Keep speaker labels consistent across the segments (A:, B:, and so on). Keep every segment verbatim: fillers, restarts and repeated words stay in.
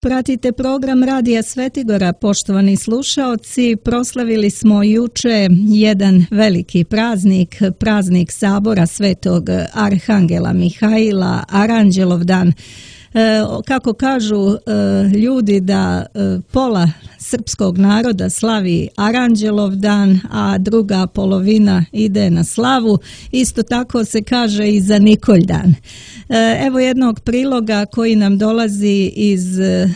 A: Pratite program Radija Svetigora, poštovani slušaoci. Proslavili smo juče jedan veliki praznik, praznik Sabora Svetog Arhangela Mihaila, Aranđelov dan. E, kako kažu e, ljudi da e, pola srpskog naroda slavi Aranđelov dan, a druga polovina ide na slavu, isto tako se kaže i za Nikolj dan. E, evo jednog priloga koji nam dolazi iz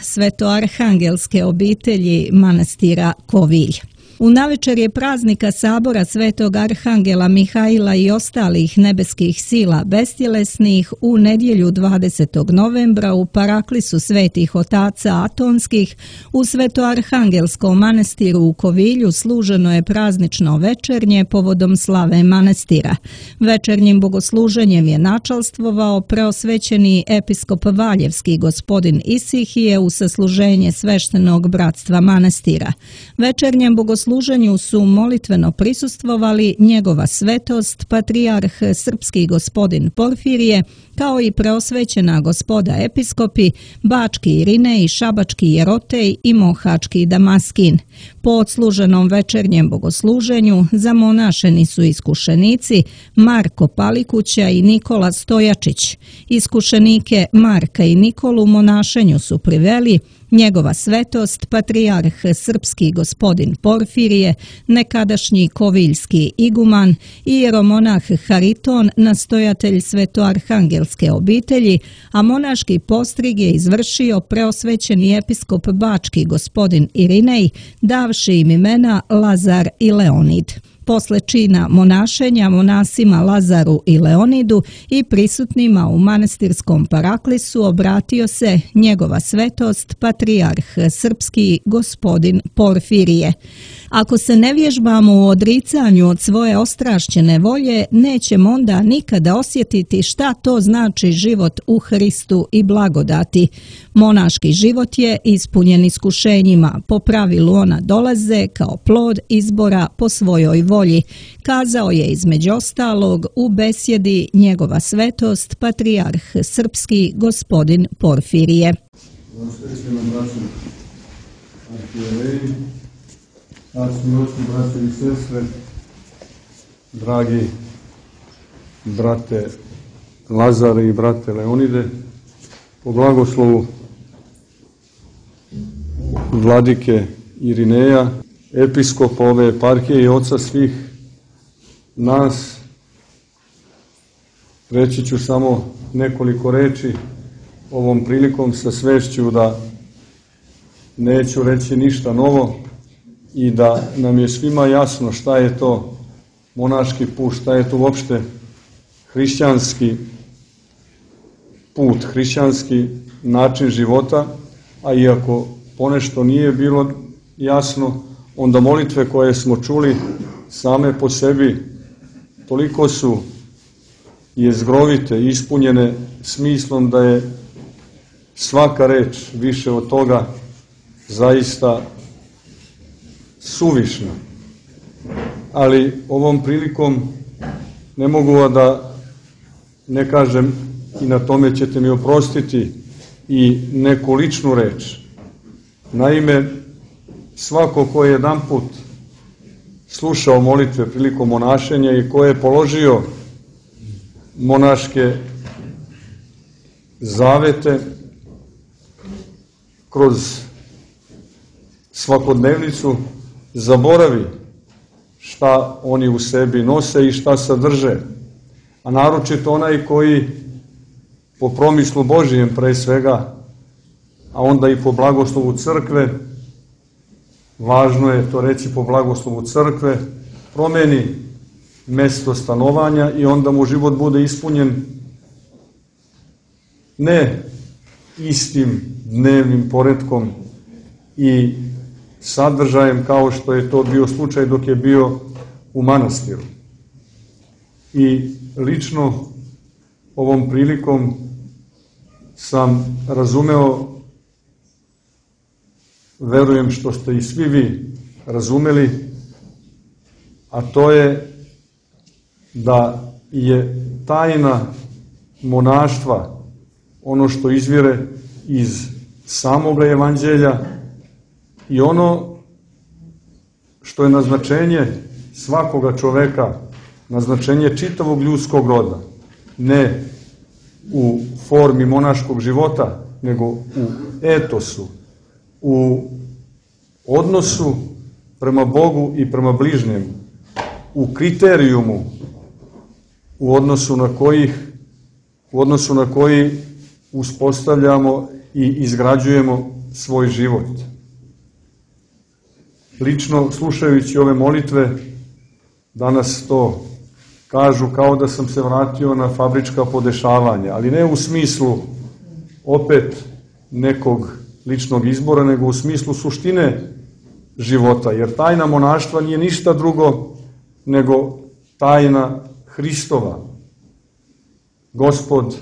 A: svetoarhangelske obitelji manastira Kovilj. U navečerje praznika Sabora Svetog Arhangela Mihaila i ostalih nebeskih sila bestjelesnih u nedjelju dvadesetog novembra u paraklisu svetih otaca atonskih u svetoarhangelskom manastiru u Kovilju služeno je praznično večernje povodom slave manastira. Večernjim bogosluženjem je načalstvovao preosvećeni episkop Valjevski gospodin Isihije u sasluženje sveštenog bratstva manastira. Večernjem bogosluženju služenju su molitveno prisustvovali njegova svetost, patrijarh srpski gospodin Porfirije, kao i preosvećena gospoda episkopi, bački Irinej, šabački Jerotej i mohački Damaskin. Po odsluženom večernjem bogosluženju zamonašeni su iskušenici Marko Palikuća i Nikola Stojačić. Iskušenike Marka i Nikolu monašenju su priveli njegova svetost, patrijarh srpski gospodin Porfirije, nekadašnji koviljski iguman i jeromonah Hariton, nastojatelj svetoarhangelske obitelji, a monaški postrig je izvršio preosvećeni episkop bački gospodin Irinej, davši im imena Lazar i Leonid. Posle čina monašenja monasima Lazaru i Leonidu i prisutnima u manastirskom paraklisu obratio se njegova svetost, patrijarh srpski gospodin Porfirije. Ako se ne vježbamo u odricanju od svoje ostrašćene volje, nećemo onda nikada osjetiti šta to znači život u Hristu i blagodati. Monaški život je ispunjen iskušenjima, po pravilu ona dolaze kao plod izbora po svojoj volji, kazao je između ostalog u besjedi njegova svetost, patrijarh srpski gospodin Porfirije.
B: Arčni oči, brate i sestre, dragi brate Lazare i brate Leonide, po blagoslovu vladike Irineja, episkopa ove eparhije i oca svih nas, reći ću samo nekoliko reči ovom prilikom sa svešću da neću reći ništa novo, i da nam je svima jasno šta je to monaški put, šta je to uopšte hrišćanski put, hrišćanski način života, a iako ponešto nije bilo jasno, onda molitve koje smo čuli same po sebi toliko su jezgrovite, ispunjene smislom da je svaka reč više od toga zaista suvišna. Ali ovom prilikom ne mogu da ne kažem, i na tome ćete mi oprostiti, i neku ličnu reč. Naime, svako ko je jedan put slušao molitve prilikom monašenja i ko je položio monaške zavete kroz svakodnevnicu, zaboravi šta oni u sebi nose i šta sadrže, a naročito onaj koji po promislu Božijem pre svega, a onda i po blagoslovu crkve, važno je to reći po blagoslovu crkve, promeni mesto stanovanja i onda mu život bude ispunjen ne istim dnevnim poretkom i sadržajem kao što je to bio slučaj dok je bio u manastiru. I lično ovom prilikom sam razumeo, verujem što ste i svi vi razumeli, a to je da je tajna monaštva ono što izvire iz samoga evanđelja i ono što je naznačenje svakoga čoveka, naznačenje čitavog ljudskog roda, ne u formi monaškog života, nego u etosu, u odnosu prema Bogu i prema bližnjemu, u kriterijumu u odnosu na kojih, u odnosu na koji uspostavljamo i izgrađujemo svoj život. Lično, slušajući ove molitve, danas to kažu kao da sam se vratio na fabrička podešavanja, ali ne u smislu opet nekog ličnog izbora, nego u smislu suštine života, jer tajna monaštva nije ništa drugo nego tajna Hristova. Gospod,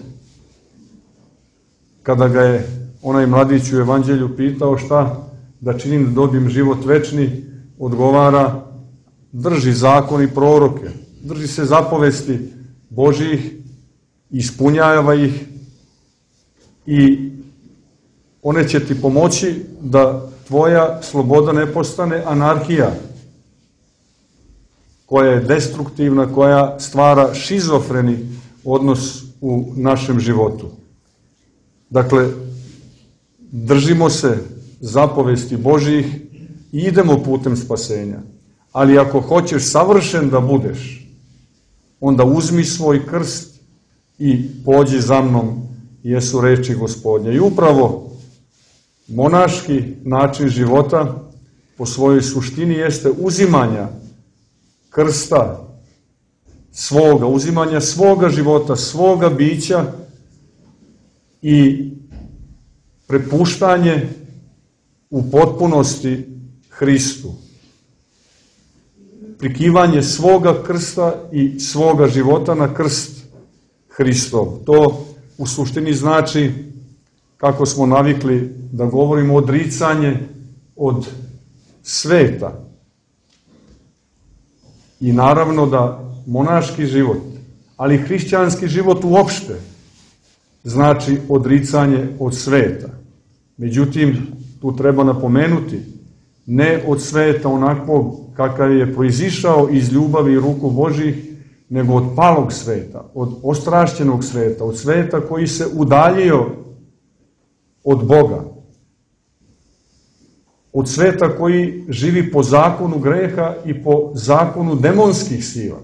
B: kada ga je onaj mladić u evanđelju pitao šta da činim da dobijem život večni, odgovara: drži zakon i proroke, drži se zapovesti Božjih, ispunjava ih i one će ti pomoći da tvoja sloboda ne postane anarhija, koja je destruktivna, koja stvara šizofreni odnos u našem životu. Dakle, držimo se zapovesti Božjih i idemo putem spasenja. Ali ako hoćeš savršen da budeš, onda uzmi svoj krst i pođi za mnom, jesu reči Gospodnje. I upravo monaški način života po svojoj suštini jeste uzimanja krsta svoga, uzimanja svoga života, svoga bića i prepuštanje u potpunosti Hristu. Prikivanje svoga krsta i svoga života na krst Hristov. To u suštini znači, kako smo navikli da govorimo, odricanje od sveta. I naravno da monaški život, ali hrišćanski život uopšte, znači odricanje od sveta. Međutim, tu treba napomenuti, ne od sveta onakvog kakav je proizišao iz ljubavi i ruku Božjih, nego od palog sveta, od ostrašćenog sveta, od sveta koji se udaljio od Boga, od sveta koji živi po zakonu greha i po zakonu demonskih sila.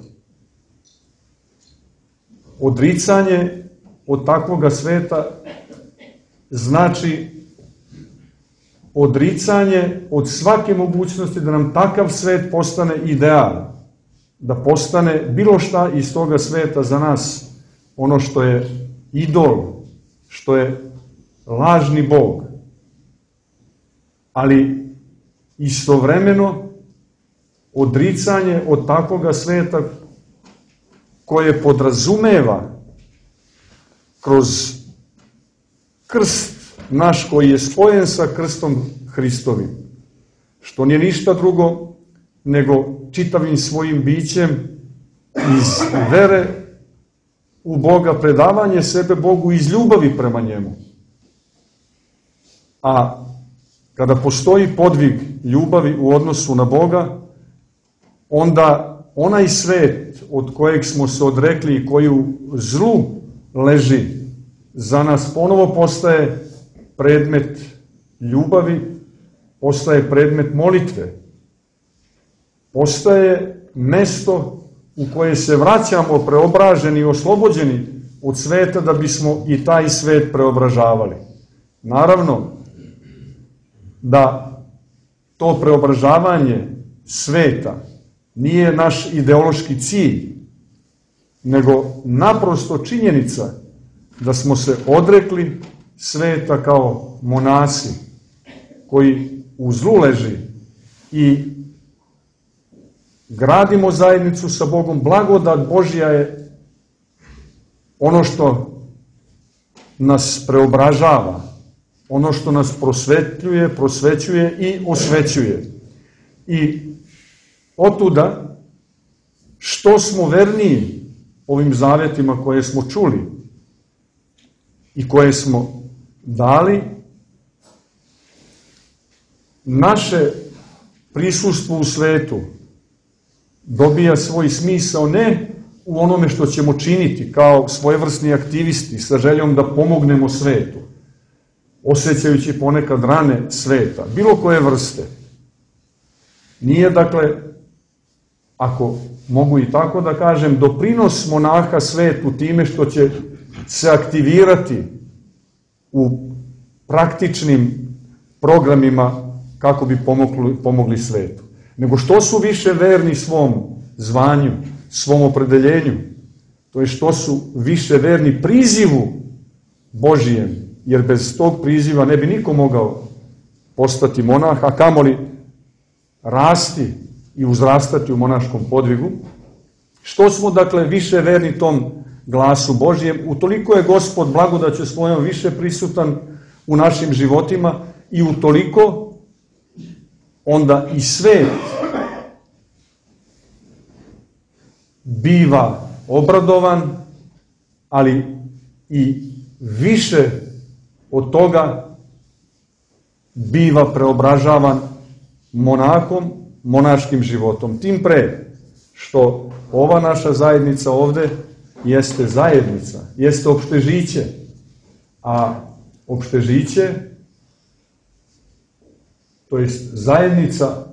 B: Odricanje od takvoga sveta znači odricanje od svake mogućnosti da nam takav svet postane ideal, da postane bilo šta iz toga sveta za nas ono što je idol, što je lažni Bog. Ali istovremeno odricanje od takvoga sveta koje podrazumeva kroz krst naš koji je spojen sa krstom Hristovim, što nije ništa drugo nego čitavim svojim bićem iz vere u Boga, predavanje sebe Bogu iz ljubavi prema njemu. A kada postoji podvig ljubavi u odnosu na Boga, onda onaj svet od kojeg smo se odrekli i koji u zlu leži, za nas ponovo postaje predmet ljubavi, postaje predmet molitve, postaje mesto u koje se vraćamo preobraženi i oslobođeni od sveta da bismo i taj svet preobražavali. Naravno da to preobražavanje sveta nije naš ideološki cilj, nego naprosto činjenica da smo se odrekli sveta kao monasi koji u zlu leži i gradimo zajednicu sa Bogom. Blagodat Božja je ono što nas preobražava, ono što nas prosvetljuje, prosvećuje i osvećuje. I otuda, što smo verniji ovim zavjetima koje smo čuli i koje smo dali, naše prisustvo u svetu dobija svoj smisao ne u onome što ćemo činiti kao svojevrsni aktivisti sa željom da pomognemo svetu, osjećajući ponekad rane sveta, bilo koje vrste. Nije, dakle, ako mogu i tako da kažem, doprinos monaha svetu time što će se aktivirati u praktičnim programima kako bi pomogli, pomogli svetu. Nego što su više verni svom zvanju, svom opredeljenju, to je što su više verni prizivu Božijem, jer bez tog priziva ne bi niko mogao postati monah, a kamoli rasti i uzrastati u monaškom podvigu. Što smo, dakle, više verni tom glasu Božijem, utoliko je Gospod blagodaću svojom više prisutan u našim životima i utoliko onda i svet biva obradovan, ali i više od toga biva preobražavan monahom, monaškim životom. Tim pre što ova naša zajednica ovde jeste zajednica, jeste opštežiće, a opštežiće, to jest zajednica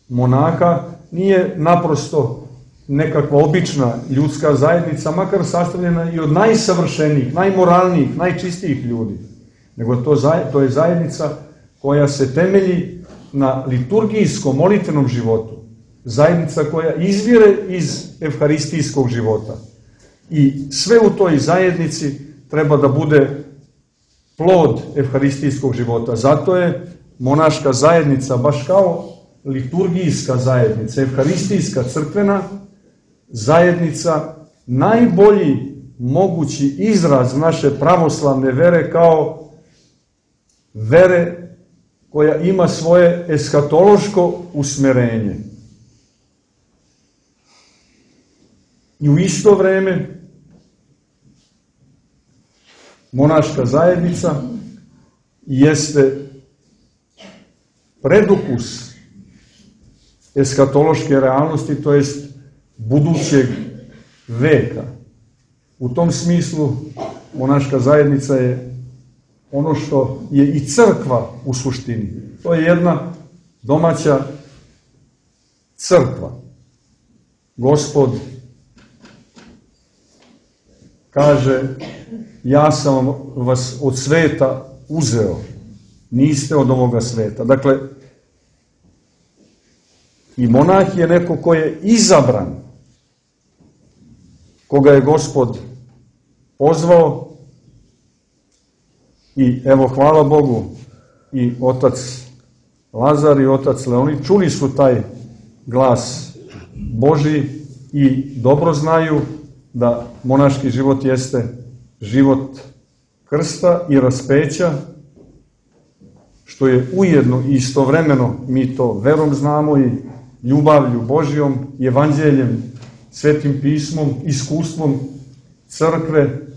B: monaha, nije naprosto nekakva obična ljudska zajednica, makar sastavljena i od najsavršenijih, najmoralnijih, najčistijih ljudi, nego to, to je zajednica koja se temelji na liturgijskom, molitvenom životu, zajednica koja izvire iz evharistijskog života. I sve u toj zajednici treba da bude plod evharistijskog života. Zato je monaška zajednica, baš kao liturgijska zajednica, evharistijska, crkvena zajednica, najbolji mogući izraz naše pravoslavne vere kao vere koja ima svoje eskatološko usmerenje. I u isto vreme monaška zajednica jeste predukus eskatološke realnosti, to jest budućeg veka. U tom smislu monaška zajednica je ono što je i crkva u suštini. To je jedna domaća crkva. Gospod kaže: ja sam vas od sveta uzeo, niste od ovoga sveta. Dakle, i monah je neko ko je izabran, koga je Gospod pozvao. I evo, hvala Bogu, i otac Lazar i otac Leonid čuli su taj glas Božji i dobro znaju da monaški život jeste život krsta i raspeća, što je ujedno i istovremeno, mi to verom znamo, i ljubavlju Božjom, evanđeljem, svetim pismom, iskustvom crkve.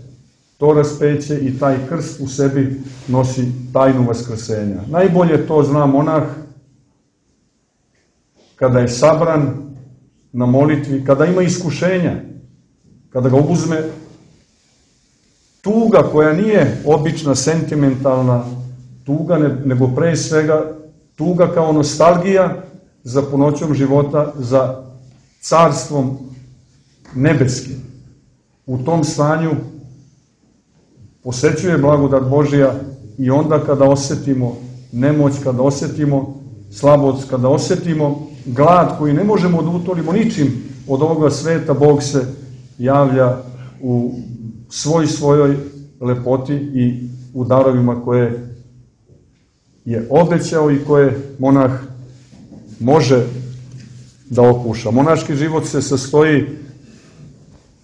B: To raspeće i taj krst u sebi nosi tajnu vaskrsenja. Najbolje to zna monah kada je sabran na molitvi, kada ima iskušenja, kada ga obuzme tuga koja nije obična sentimentalna tuga, nego pre svega tuga kao nostalgija za punoćom života, za carstvom nebeskim. U tom stanju posećuje blagodat Božja i onda kada osetimo nemoć, kada osetimo slabost, kada osetimo glad koji ne možemo da utolimo ničim od ovoga sveta, Bog se javlja u svoj svojoj lepoti i u darovima koje je obećao i koje monah može da okuša. Monaški život se sastoji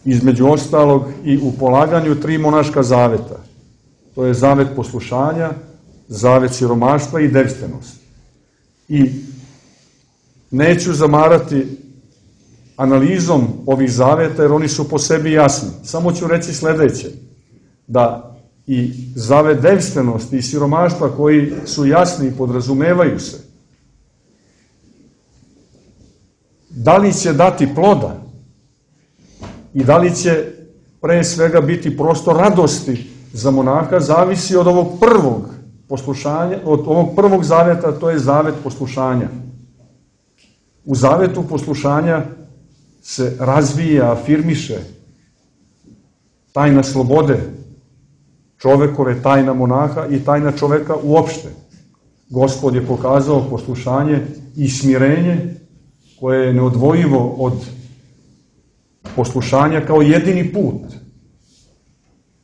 B: između ostalog i u polaganju tri monaška zaveta. To je zavet poslušanja, zavet siromaštva i devstvenost. I neću zamarati analizom ovih zaveta, jer oni su po sebi jasni. Samo ću reći sledeće, da i zavet devstvenosti i siromaštva, koji su jasni i podrazumevaju se, Da li će dati ploda i da li će pre svega biti prostor radosti za monaha, zavisi od ovog prvog poslušanja, od ovog prvog zaveta, to je zavet poslušanja. U zavetu poslušanja se razvija, afirmiše tajna slobode čovekove, tajna monaha i tajna čoveka uopšte. Gospod je pokazao poslušanje i smirenje koje je neodvojivo od poslušanja kao jedini put,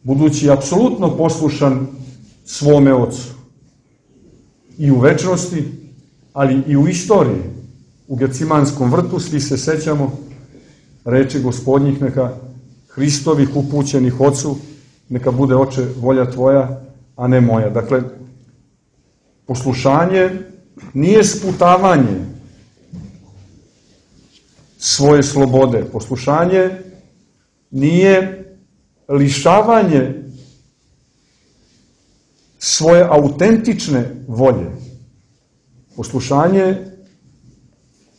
B: budući apsolutno poslušan svome Ocu. I u večnosti, ali i u istoriji. U Gecimanskom vrtu svi se sećamo reči Gospodnjih, neka Hristovih upućenih Ocu, neka bude, Oče, volja Tvoja, a ne moja. Dakle, poslušanje nije sputavanje svoje slobode. Poslušanje nije lišavanje svoje autentične volje. Poslušanje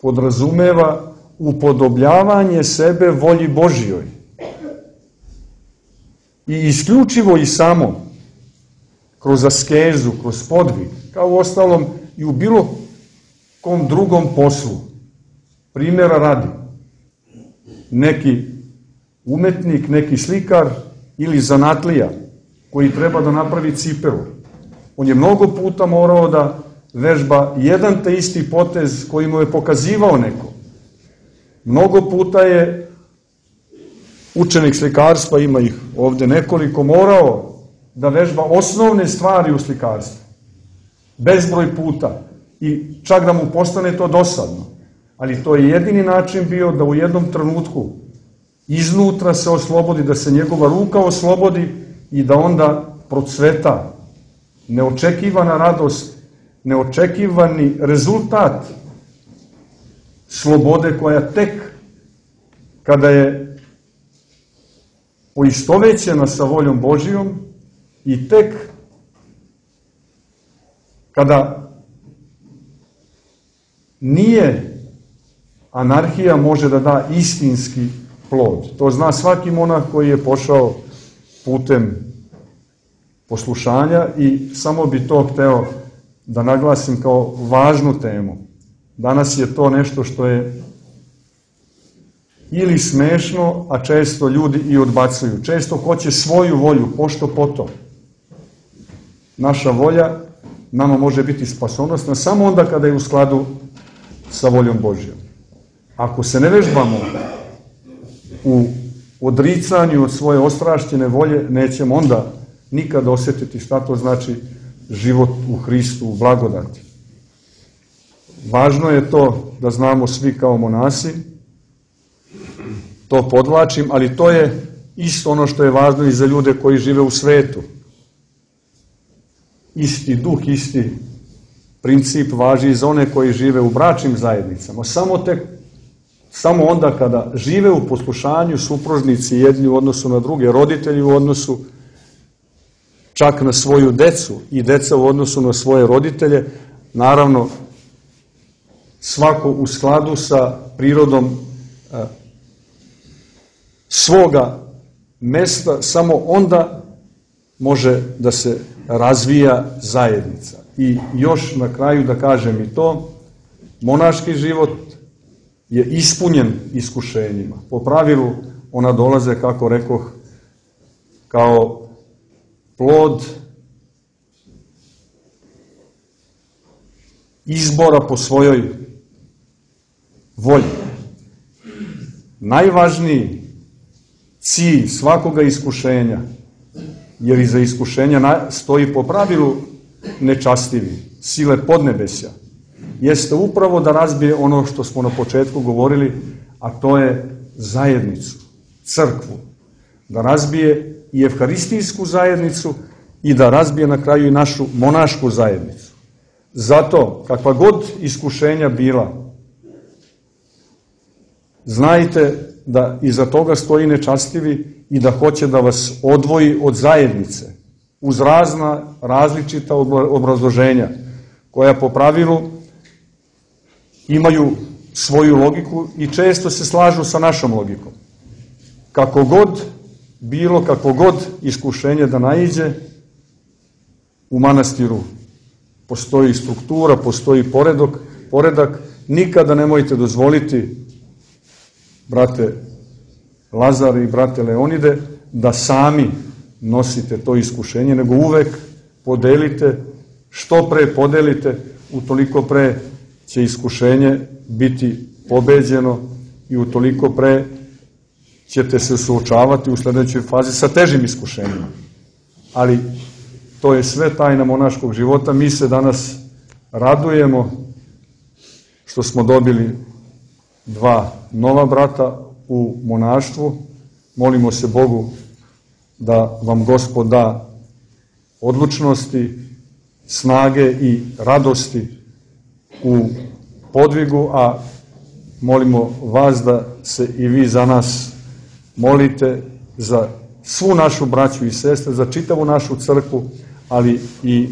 B: podrazumeva upodobljavanje sebe volji Božjoj. I isključivo i samo kroz askezu, kroz podvig, kao u ostalom i u bilo kom drugom poslu. Primjera radi, neki umetnik, neki slikar ili zanatlija koji treba da napravi cipelu. On je mnogo puta morao da vežba jedan te isti potez koji mu je pokazivao neko. Mnogo puta je učenik slikarstva, ima ih ovde nekoliko, morao da vežba osnovne stvari u slikarstvu. Bezbroj puta. I čak da mu postane to dosadno. Ali to je jedini način bio da u jednom trenutku iznutra se oslobodi, da se njegova ruka oslobodi i da onda procveta neočekivana radost, neočekivani rezultat slobode koja tek kada je poistovećena sa voljom Božijom i tek kada nije anarhija, može da da istinski plod. To zna svaki monah koji je pošao putem poslušanja i samo bi to hteo da naglasim kao važnu temu. Danas je to nešto što je ili smešno, a često ljudi i odbacuju. Često hoće svoju volju, pošto poto. Naša volja nama može biti spasonosna samo onda kada je u skladu sa voljom Božjom. Ako se ne vežbamo u odricanju od svoje ostrašćene volje, nećemo onda nikada osjetiti šta to znači život u Hristu, u blagodati. Važno je to da znamo svi kao monasi, to podvlačim, ali to je isto ono što je važno i za ljude koji žive u svetu. Isti duh, isti princip važi i za one koji žive u bračnim zajednicama. Samo tek Samo onda kada žive u poslušanju, supružnici jedni u odnosu na druge, roditelji u odnosu čak na svoju decu i deca u odnosu na svoje roditelje, naravno svako u skladu sa prirodom e, svoga mesta, samo onda može da se razvija zajednica. I još na kraju da kažem i to, monaški život je ispunjen iskušenjima. Po pravilu ona dolaze, kako rekoh, kao plod izbora po svojoj volji. Najvažniji cilj svakoga iskušenja, jer iza iskušenja stoji po pravilu nečastivi, sile podnebesja, jeste upravo da razbije ono što smo na početku govorili, a to je zajednicu, crkvu. Da razbije i evharistijsku zajednicu i da razbije na kraju i našu monašku zajednicu. Zato, kakva god iskušenja bila, znajte da iza toga stoji nečastivi i da hoće da vas odvoji od zajednice, uz razna različita obrazloženja, koja po pravilu imaju svoju logiku i često se slažu sa našom logikom. Kako god bilo, kako god iskušenje da naiđe, u manastiru postoji struktura, postoji poredak, poredak. Nikada nemojte dozvoliti, brate Lazare i brate Leonide, da sami nosite to iskušenje, nego uvek podelite, što pre podelite, utoliko pre će iskušenje biti pobeđeno i utoliko pre ćete se suočavati u sledećoj fazi sa težim iskušenjima. Ali to je sve tajna monaškog života. Mi se danas radujemo što smo dobili dva nova brata u monaštvu. Molimo se Bogu da vam Gospod da odlučnosti, snage i radosti u podvigu, a molimo vas da se i vi za nas molite, za svu našu braću i sestre, za čitavu našu crkvu, ali i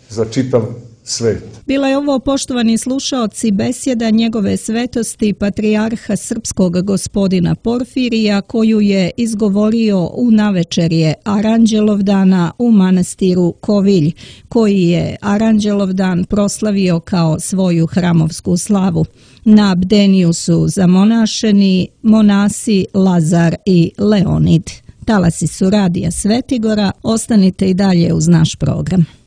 B: za čitav svet.
A: Bila je ovo, poštovani slušaoci, besjeda njegove svetosti patrijarha srpskog gospodina Porfirija, koju je izgovorio u navečerje Aranđelovdana u manastiru Kovilj, koji je Aranđelovdan proslavio kao svoju hramovsku slavu. Na bdeniju su zamonašeni monasi Lazar i Leonid. Talasi su Radija Svetigora, ostanite i dalje uz naš program.